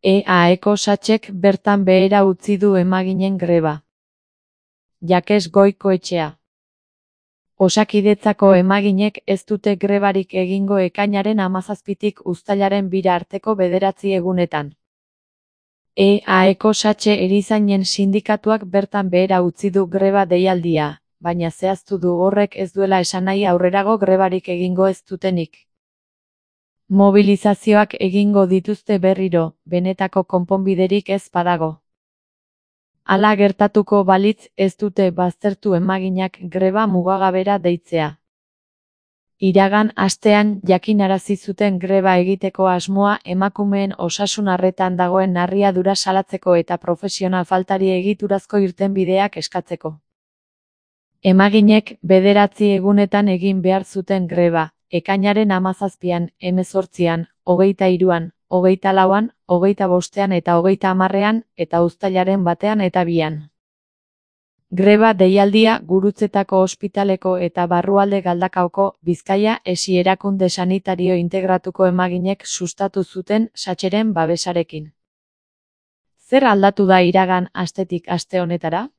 EAEko Satxek bertan behera utzi du emaginen greba. Jakes Goikoetxea. Osakidetzako emaginek ez dute grebarik egingo ekainaren 17tik uztailaren 2 arteko 9 egunetan. EAEko Satxe erizainen sindikatuak bertan behera utzi du greba deialdia, baina zehaztu du horrek ez duela esan nahi aurrerago grebarik egingo ez dutenik. Mobilizazioak egingo dituzte berriro, benetako konponbiderik ez badago. Hala gertatuko balitz ez dute baztertu emaginak greba mugagabera deitzea. Iragan astean jakinarazi zuten greba egiteko asmoa emakumeen osasun arretan dagoen narriadura salatzeko eta profesional faltari egiturazko irtenbideak eskatzeko. Emaginek 9 egunetan egin behar zuten greba, ekainaren 17an, 18an, 23an, 24an, 25an eta 30an, eta uztailaren 1 eta 2an. Greba deialdia Gurutzetako ospitaleko eta barrualde Galdakaoko, Bizkaia esi erakunde sanitario integratuko emaginek sustatu zuten Satxeren babesarekin. Zer aldatu da iragan astetik aste honetara?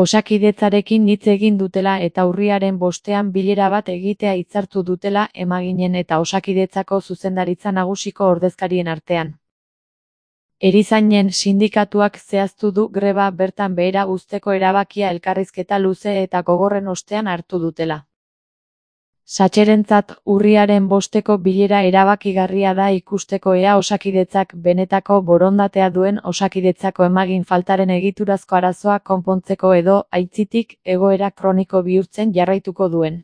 Osakidetzarekin hitz egin dutela eta urriaren 5ean bilera bat egitea hitzartu dutela emaginen eta Osakidetzako zuzendaritza nagusiko ordezkarien artean. Erizainen sindikatuak zehaztu du greba bertan behera uzteko erabakia elkarrizketa luze eta gogorren ostean hartu dutela. Satxerentzat urriaren 5eko bilera erabakigarria da ikusteko ea Osakidetzak benetako borondatea duen Osakidetzako emagin faltaren egiturazko arazoa konpontzeko edo, aitzitik, egoera kroniko bihurtzen jarraituko duen.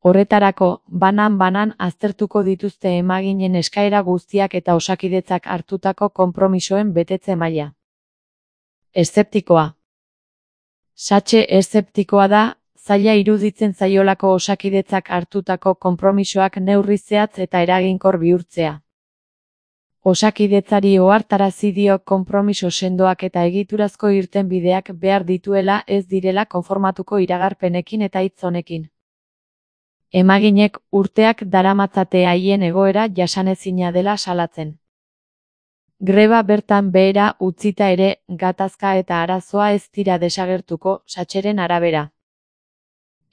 Horretarako, banan-banan aztertuko dituzte emaginen eskaera guztiak eta Osakidetzak hartutako konpromisoen betetze maila. Eszeptikoa. Satxe eszeptikoa da, zaila iruditzen zaiolako Osakidetzak hartutako konpromisoak neurri zehatz eta eraginkor bihurtzea. Osakidetzari ohartarazi dio konpromiso sendoak eta egiturazko irtenbideak behar dituela ez direla konformatuko iragarpenekin eta hitz honekin. Emaginek urteak daramatzate haien egoera jasanezina dela salatzen. Greba bertan behera utzita ere, gatazka eta arazoa ez dira desagertuko, Satxeren arabera.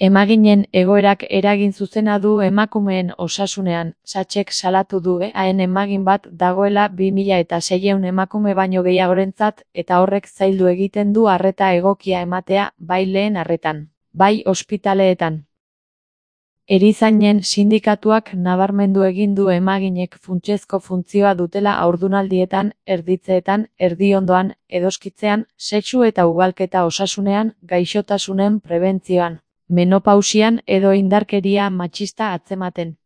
Emaginen egoerak eragin zuzena du emakumeen osasunean, Satxek salatu du EAEn emagin bat dagoela 2600 emakume baino gehiagorentzat eta horrek zaildu egiten du arreta egokia ematea, bai lehen arretan, bai ospitaleetan. Erizainen sindikatuak nabarmendu egin du emaginek funtsezko funtzioa dutela haurdunaldietan, erditzeetan, erdiondoan, edoskitzean, sexu eta ugalketa osasunean, gaixotasunen prebentzioan, menopausian edo indarkeria matxista atzematen.